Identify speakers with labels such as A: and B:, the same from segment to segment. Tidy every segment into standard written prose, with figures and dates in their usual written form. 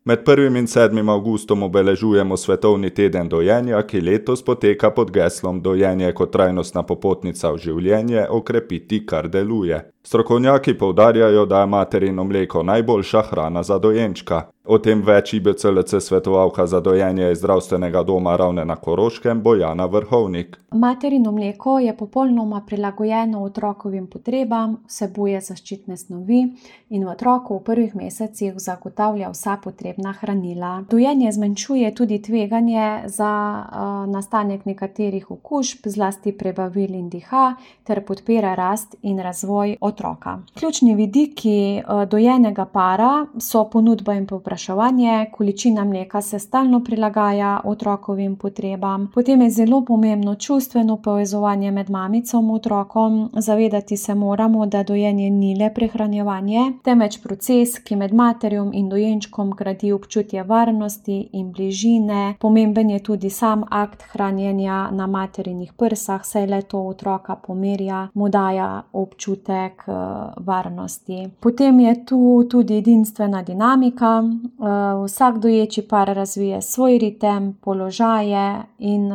A: Med 1. in 7. avgustom obeležujemo Svetovni teden dojenja, ki letos poteka pod geslom Dojenje kot trajnostna popotnica v življenje, okrepiti, kar deluje. Strokovnjaki poudarjajo, da je materino mleko najboljša hrana za dojenčka. O tem več IBCLC svetovalka za dojenje iz zdravstvenega doma Ravne na Koroškem Bojana Vrhovnik.
B: Materino mleko je popolnoma prilagojeno otrokovim potrebam, vsebuje zaščitne snovi in v otroku v prvih mesecih zagotavlja vsa potrebna hranila. Dojenje zmanjšuje tudi tveganje za nastanek nekaterih okužb, zlasti prebavil in diha, ter podpira rast in razvoj otroka. Ključni vidiki dojenega para so ponudba in povpraševanje, količina mleka se stalno prilagaja otrokovim potrebam. Potem je zelo pomembno čustveno povezovanje med mamico in otrokom. Zavedati se moramo, da dojenje ni le prehranjevanje, temveč proces, ki med materjo in dojenčkom gradi občutje varnosti in bližine. Pomemben je tudi sam akt hranjenja na materinih prsah, saj le to otroka pomirja, mu daje občutek varnosti. Potem je tu tudi edinstvena dinamika. Vsak doječi par razvije svoj ritem, položaje in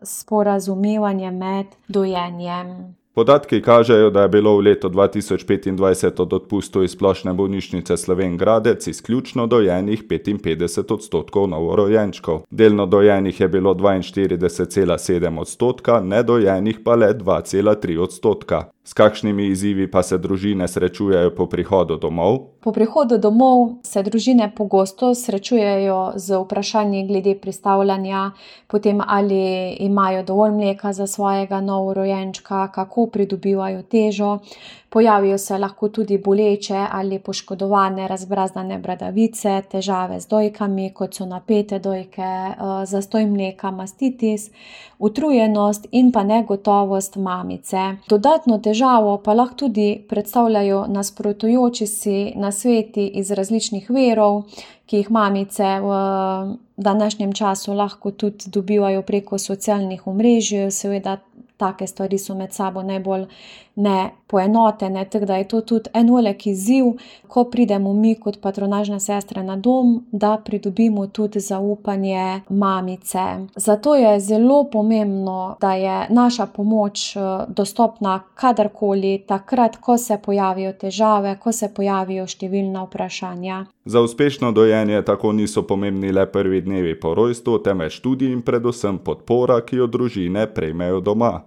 B: sporazumevanje med dojenjem.
A: Podatki kažejo, da je bilo v letu 2025 od odpustov iz Splošne bolnišnice Slovenj Gradec izključno dojenih 55% novorojenčkov. Delno dojenih je bilo 42,7%, nedojenih pa le 2,3%. S kakšnimi izzivi pa se družine srečujejo po prihodu domov?
B: Po prihodu domov se družine pogosto srečujejo z vprašanji glede pristavljanja, potem ali imajo dovolj mleka za svojega novorojenčka, kako pridobivajo težo. Pojavijo se lahko tudi boleče ali poškodovane razbrazdane bradavice, težave z dojkami, kot so napete dojke, zastoj mleka, mastitis, utrujenost in pa negotovost mamice. Dodatno težavo pa lahko tudi predstavljajo nasprotujoči si nasveti iz različnih virov, ki jih mamice v današnjem času lahko tudi dobivajo preko socialnih omrežij. Seveda take stvari so med sabo najbolj nepoenotene, tako da je to tudi en velik izziv, ko pridemo mi kot patronažne sestre na dom, da pridobimo tudi zaupanje mamice. Zato je zelo pomembno, da je naša pomoč dostopna kadarkoli, takrat, ko se pojavijo težave, ko se pojavijo številna vprašanja.
A: Za uspešno dojenje tako niso pomembni le prvi dnevi po rojstvu, temveč tudi in predvsem podpora, ki jo družine prejmejo doma.